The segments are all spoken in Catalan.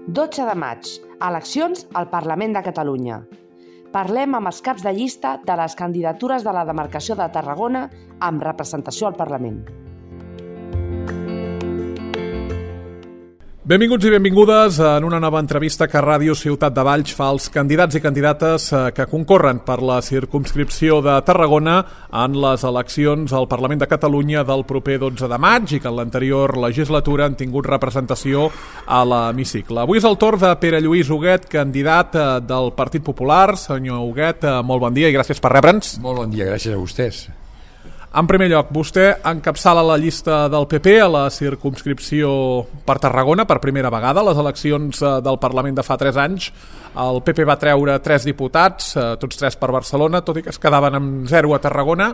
12 de maig, eleccions al Parlament de Catalunya. Parlem amb els caps de llista de les candidatures de la demarcació de Tarragona amb representació al Parlament. Benvinguts i benvingudes en una nova entrevista que Ràdio Ciutat de Valls fa als candidats i candidates que concorren per la circumscripció de Tarragona en les eleccions al Parlament de Catalunya del proper 12 de maig i que en l'anterior legislatura han tingut representació a l'hemicicle. Avui és el torn de Pere Lluís Huguet, candidat del Partit Popular. Senyor Huguet, molt bon dia i gràcies per rebre'ns. Molt bon dia, gràcies a vostès. En primer lloc, vostè encapçala la llista del PP a la circumscripció per Tarragona per primera vegada. A les eleccions del Parlament de fa 3 anys el PP va treure 3 diputats, tots 3 per Barcelona, tot i que es quedaven amb 0 a Tarragona.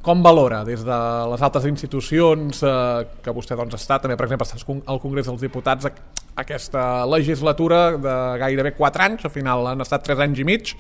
Com valora des de les altres institucions que vostè ha estat, també per exemple al Congrés dels Diputats, aquesta legislatura de gairebé 4 anys, al final han estat 3 anys i mig,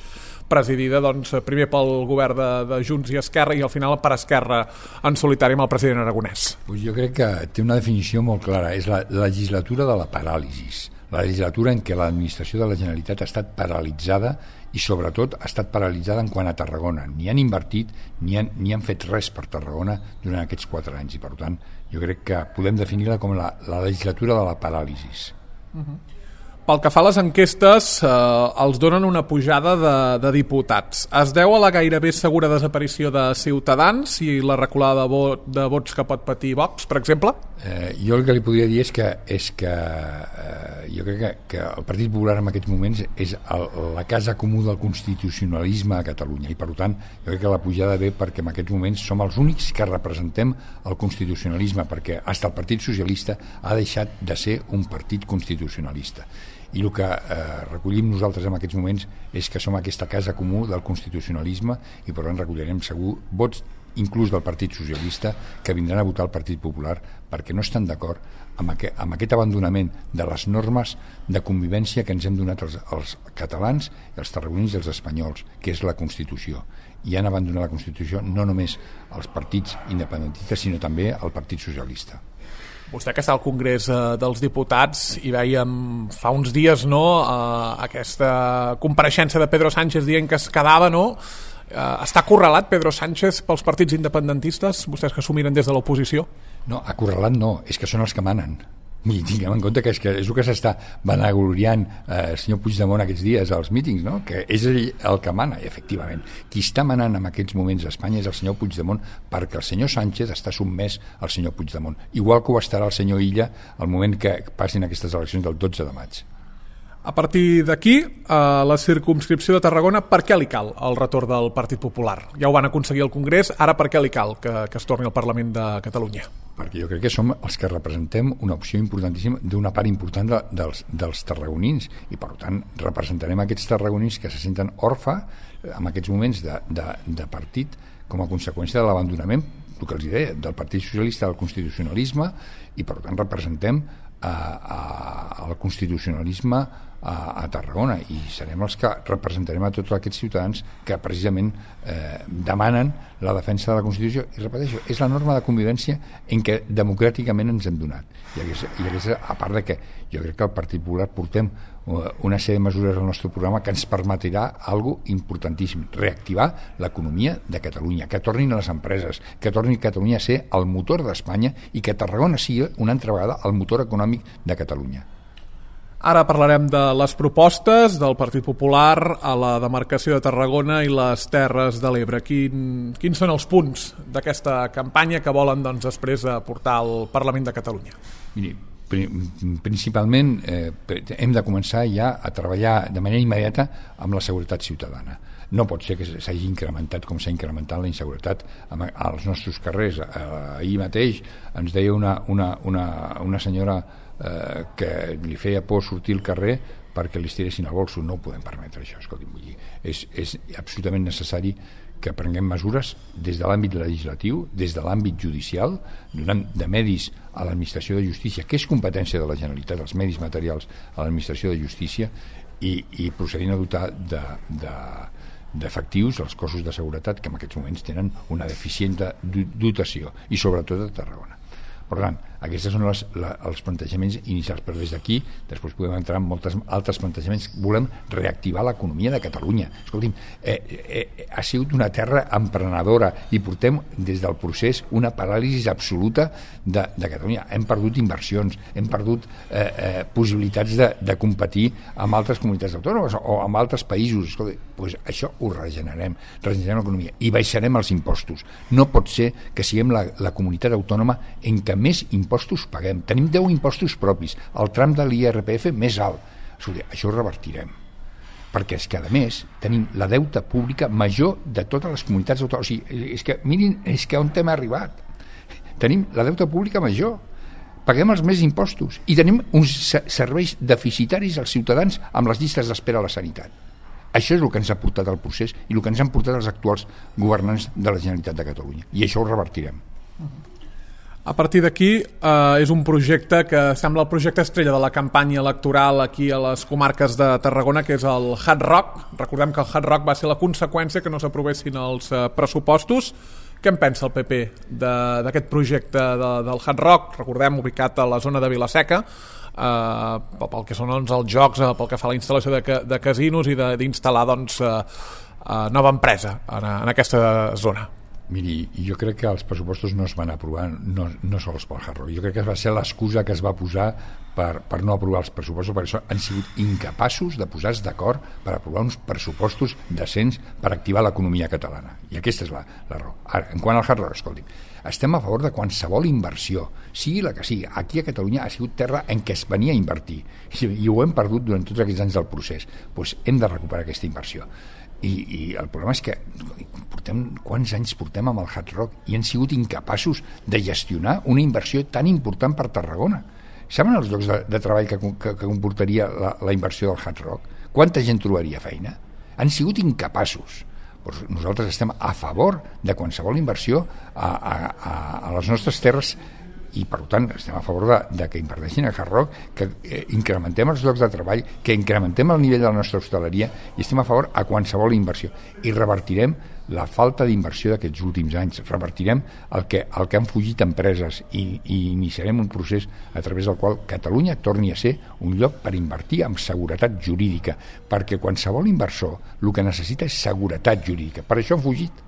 presidida primer pel govern de Junts i Esquerra i al final per Esquerra en solitari amb el president Aragonès? Pues jo crec que té una definició molt clara, és la legislatura de la paràlisi, la legislatura en què l'administració de la Generalitat ha estat paralitzada i sobretot ha estat paralitzada en quant a Tarragona. Ni han invertit ni han fet res per Tarragona durant aquests 4 anys i per tant jo crec que podem definir-la com la legislatura de la paràlisi. Pel que fa a les enquestes, els donen una pujada de diputats. Es deu a la gairebé segura desaparició de Ciutadans i la reculada de vots que pot patir Vox, per exemple? Jo el que li podria dir és que jo crec que el Partit Popular en aquests moments és la casa comú del constitucionalisme a Catalunya i per tant jo crec que la pujada ve perquè en aquests moments som els únics que representem el constitucionalisme, perquè fins el Partit Socialista ha deixat de ser un partit constitucionalista. I el que recollim nosaltres en aquests moments és que som aquesta casa comú del constitucionalisme i per tant recollirem segur vots inclús del Partit Socialista que vindran a votar el Partit Popular perquè no estan d'acord amb aquest abandonament de les normes de convivència que ens hem donat els catalans, els tarragonins i els espanyols, que és la Constitució. I han abandonat la Constitució no només els partits independentistes sinó també el Partit Socialista. Vostè que està al Congrés dels Diputats i vèiem fa uns dies aquesta compareixença de Pedro Sánchez dient que es quedava, està acorralat Pedro Sánchez pels partits independentistes, vostès que s'ho miren des de l'oposició? No, acorralat no, és que són els que manen. I tinguem en compte que és el que s'està vanagloriant el senyor Puigdemont aquests dies als mítings, no? Que és ell el que mana, i efectivament qui està manant en aquests moments a Espanya és el senyor Puigdemont, perquè el senyor Sánchez està sotmès al senyor Puigdemont, igual que ho estarà el senyor Illa al moment que passin aquestes eleccions del 12 de maig. A partir d'aquí, a la circumscripció de Tarragona, per què li cal el retorn del Partit Popular? Ja ho van aconseguir al Congrés, ara per què li cal que es torni al Parlament de Catalunya? Perquè jo crec que som els que representem una opció importantíssima d'una part important dels tarragonins i per tant representarem aquests tarragonins que se senten orfa en aquests moments de partit com a conseqüència de l'abandonament, el que els deia, del Partit Socialista al constitucionalisme i per tant representem el constitucionalisme a Tarragona i serem els que representarem a tots aquests ciutadans que precisament demanen la defensa de la Constitució i repeteixo, és la norma de convivència en què democràticament ens hem donat i aquesta, a part de que jo crec que el Partit Popular portem una sèrie de mesures al nostre programa que ens permetrà algo importantíssim, reactivar l'economia de Catalunya, que tornin a les empreses, que torni Catalunya a ser el motor d'Espanya i que Tarragona sigui una altra vegada el motor econòmic de Catalunya. Ara parlarem de les propostes del Partit Popular a la demarcació de Tarragona i les Terres de l'Ebre. Quins són els punts d'aquesta campanya que volen després portar al Parlament de Catalunya? Miri, principalment hem de començar ja a treballar de manera immediata amb la seguretat ciutadana. No pot ser que s'hagi incrementat com s'ha incrementat la inseguretat als nostres carrers. Ahir mateix ens deia una senyora que li feia por sortir al carrer perquè li estiressin el bolso. No ho podem permetre això, escolti'm, vull dir, és absolutament necessari que prenguem mesures des de l'àmbit legislatiu, des de l'àmbit judicial, donant de medis a l'administració de justícia, que és competència de la Generalitat, els medis materials a l'administració de justícia i procedint a dotar d'efectius els cossos de seguretat que en aquests moments tenen una deficient dotació i sobretot a Tarragona. Per tant, Aquests són els plantejaments inicials, però des d'aquí després podem entrar en molts altres plantejaments. Volem reactivar l'economia de Catalunya. Escolti'm, ha sigut una terra emprenedora i portem des del procés una paràlisi absoluta de Catalunya. Hem perdut inversions, hem perdut possibilitats de competir amb altres comunitats autònomes o amb altres països. Escolta, doncs això ho regenerem l'economia i baixarem els impostos. No pot ser que siguem la comunitat autònoma en què més impostos paguem. Tenim 10 impostos propis, el tram de l'IRPF més alt. Escolta, això ho revertirem. Perquè és que, a més, tenim la deuta pública major de totes les comunitats autònomes. O sigui, és que, mirin, és que on hem arribat. Tenim la deuta pública major, paguem els més impostos i tenim uns serveis deficitaris als ciutadans amb les llistes d'espera a la sanitat. Això és el que ens ha portat al procés i el que ens han portat els actuals governants de la Generalitat de Catalunya. I això ho revertirem. A partir d'aquí és un projecte que sembla el projecte estrella de la campanya electoral aquí a les comarques de Tarragona, que és el Hard Rock. Recordem que el Hard Rock va ser la conseqüència que no s'aprovessin els pressupostos. Què en pensa el PP d'aquest projecte del Hard Rock? Recordem, ubicat a la zona de Vila-seca, pel que són els jocs, pel que fa a la instal·lació de casinos i d'instal·lar nova empresa en aquesta zona. Miri, jo crec que els pressupostos no es van aprovar no sols pel Hard Rock. Jo crec que va ser l'excusa que es va posar per no aprovar els pressupostos, per això han sigut incapaços de posar-se d'acord per aprovar uns pressupostos decents per activar l'economia catalana. I aquesta és la raó. Ara, en quant al Hard Rock, escolti'm, estem a favor de qualsevol inversió, sigui la que sigui. Aquí a Catalunya ha sigut terra en què es venia a invertir i ho hem perdut durant tots aquests anys del procés. Doncs hem de recuperar aquesta inversió. I el problema és que quants anys portem amb el Hard Rock i han sigut incapaços de gestionar una inversió tan important per Tarragona. Saben els llocs de treball que comportaria la inversió del Hard Rock? Quanta gent trobaria feina? Han sigut incapaços. Pues nosaltres estem a favor de qualsevol inversió a les nostres terres i per tant estem a favor de que inverteixin a Hard Rock, que incrementem els llocs de treball, que incrementem el nivell de la nostra hostaleria i estem a favor a qualsevol inversió i revertirem la falta d'inversió d'aquests últims anys, revertirem el que han fugit empreses i iniciarem un procés a través del qual Catalunya torni a ser un lloc per invertir amb seguretat jurídica, perquè qualsevol inversor el que necessita és seguretat jurídica, per això han fugit.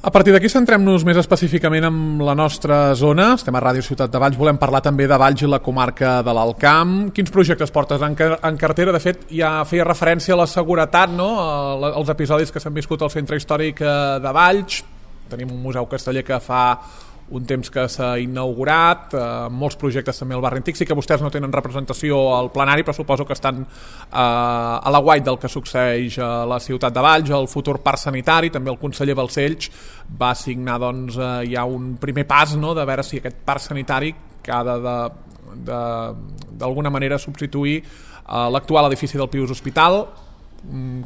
A partir d'aquí centrem-nos més específicament en la nostra zona. Estem a Ràdio Ciutat de Valls, volem parlar també de Valls i la comarca de l'Alt Camp. Quins projectes portes en cartera? De fet, ja feia referència a la seguretat, no? Els episodis que s'han viscut al centre històric de Valls. Tenim un museu casteller que fa un temps que s'ha inaugurat, molts projectes també al barri antic. Sí que vostès no tenen representació al plenari, però suposo que estan a l'aguait del que succeeix a la ciutat de Valls, el futur parc sanitari. També el conseller Balcells va signar ja un primer pas, no?, de veure si aquest parc sanitari que ha d'alguna manera substituir l'actual edifici del Pius Hospital.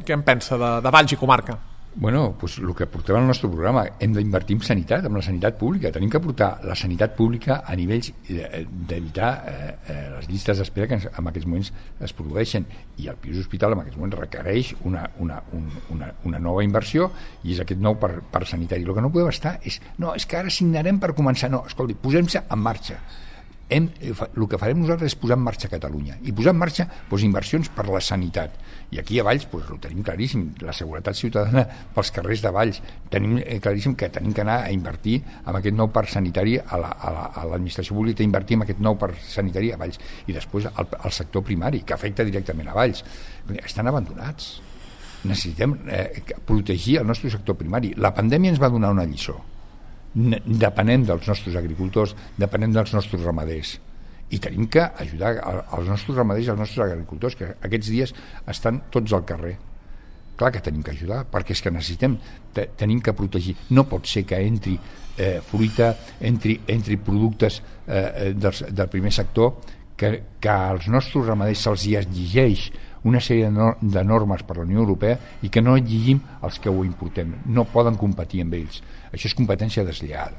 Què en pensa de Valls i comarca? Bueno, pues el que portem al nostre programa, hem d'invertir en sanitat, en la sanitat pública. Tenim que portar la sanitat pública a nivells d'evitar les llistes d'espera que en aquests moments es produeixen, i el Pius Hospital en aquests moments requereix una nova inversió i és aquest nou parc sanitari. El que no podem estar és que ara signarem per començar. No, escolti, posem-se en marxa. El que farem nosaltres és posar en marxa Catalunya i posar en marxa inversions per la sanitat, i aquí a Valls ho tenim claríssim, la seguretat ciutadana pels carrers de Valls, tenim claríssim que tenim que anar a invertir en aquest nou parc sanitari, a l'administració pública d'invertir en aquest nou parc sanitari a Valls, i després al sector primari que afecta directament a Valls. Estan abandonats, necessitem protegir el nostre sector primari. La pandèmia ens va donar una lliçó. Depenem dels nostres agricultors, depenem dels nostres ramaders, i tenim que ajudar els nostres ramaders i els nostres agricultors, que aquests dies estan tots al carrer. Clar que tenim que ajudar, perquè és que tenim que protegir. No pot ser que entri fruita, entri productes del primer sector, que als nostres ramaders se'ls exigeix una sèrie de normes per la Unió Europea i que no exigim els que ho importem. No poden competir amb ells. Això és competència deslleial.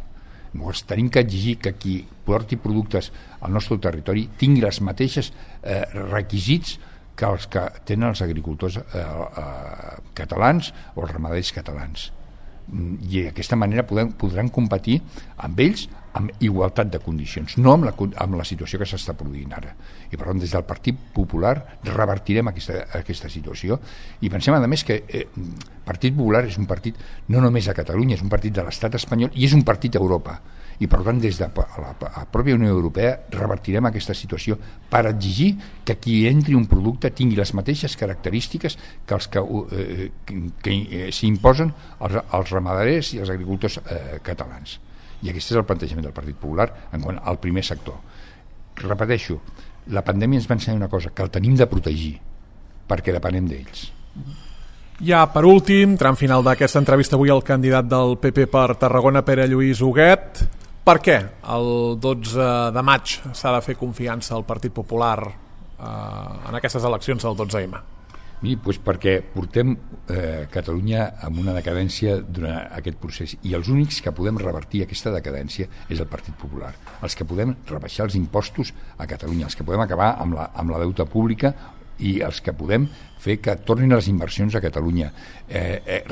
Llavors tenim que exigir que qui porti productes al nostre territori tingui els mateixos requisits que els que tenen els agricultors catalans o els ramaders catalans. i d'aquesta manera podran competir amb ells amb igualtat de condicions, no amb la situació que s'està produint ara. I per tant, des del Partit Popular revertirem aquesta situació i pensem, a més, que Partit Popular és un partit no només a Catalunya, és un partit de l'estat espanyol i és un partit a Europa. I per tant, des de la pròpia Unió Europea revertirem aquesta situació per exigir que qui entri un producte tingui les mateixes característiques que els que s'imposen als ramaders i als agricultors catalans. I aquest és el plantejament del Partit Popular en quant al primer sector. Repeteixo, la pandèmia ens va ensenyar una cosa, que el tenim de protegir perquè depenem d'ells. Ja per últim, tram final d'aquesta entrevista avui, el candidat del PP per Tarragona, Pere Lluís Huguet. Per què el 12 de maig s'ha de fer confiança al Partit Popular en aquestes eleccions del 12M? Miri, doncs perquè portem Catalunya amb una decadència durant aquest procés i els únics que podem revertir aquesta decadència és el Partit Popular, els que podem rebaixar els impostos a Catalunya, els que podem acabar amb la deuta pública i els que podem fer que tornin les inversions a Catalunya,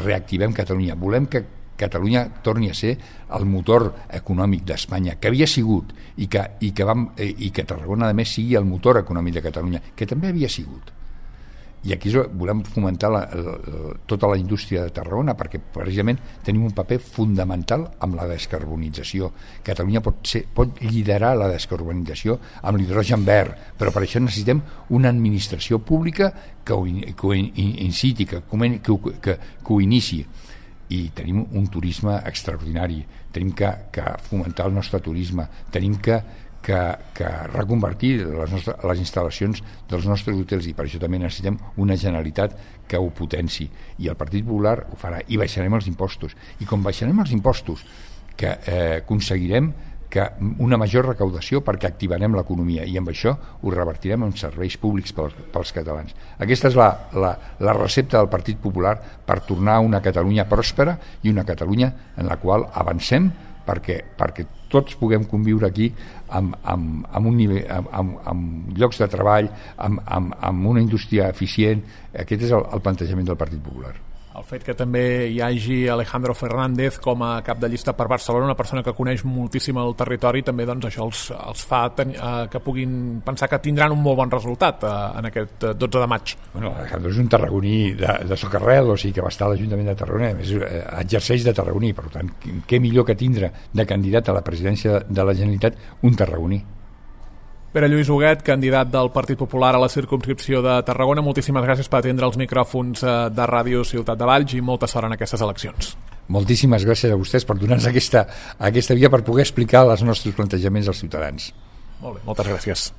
reactivem Catalunya, volem que Catalunya torni a ser el motor econòmic d'Espanya, que havia sigut i que Tarragona a més sigui el motor econòmic de Catalunya, que també havia sigut. I aquí volem fomentar tota la indústria de Tarragona perquè precisament tenim un paper fundamental amb la descarbonització. Catalunya pot liderar la descarbonització amb l'hidrogen verd, però per això necessitem una administració pública que ho inciti, que ho inici. I tenim un turisme extraordinari, tenim que fomentar el nostre turisme, tenim que reconvertir les instal·lacions dels nostres hotels i per això també necessitem una Generalitat que ho potenci i el Partit Popular ho farà i baixarem els impostos i com baixarem els impostos que aconseguirem una major recaudació perquè activarem l'economia i amb això ho revertirem en serveis públics pels catalans. Aquesta és la recepta del Partit Popular per tornar a una Catalunya pròspera i una Catalunya en la qual avancem perquè tots puguem conviure aquí amb un nivell, amb llocs de treball, amb una indústria eficient. Aquest és el plantejament del Partit Popular. El fet que també hi hagi Alejandro Fernández com a cap de llista per Barcelona, una persona que coneix moltíssim el territori, també doncs, això els fa que puguin pensar que tindran un molt bon resultat en aquest 12 de maig. Bueno, Alejandro és un tarragoní de socarrel, o sigui que va estar a l'Ajuntament de Tarragona, a més exerceix de tarragoní, per tant, què millor que tindre de candidat a la presidència de la Generalitat un tarragoní. Pere Lluís Huguet, candidat del Partit Popular a la circumscripció de Tarragona, moltíssimes gràcies per atendre els micròfons de Ràdio Ciutat de Valls i molta sort en aquestes eleccions. Moltíssimes gràcies a vostès per donar-nos aquesta via per poder explicar els nostres plantejaments als ciutadans. Molt bé, moltes gràcies.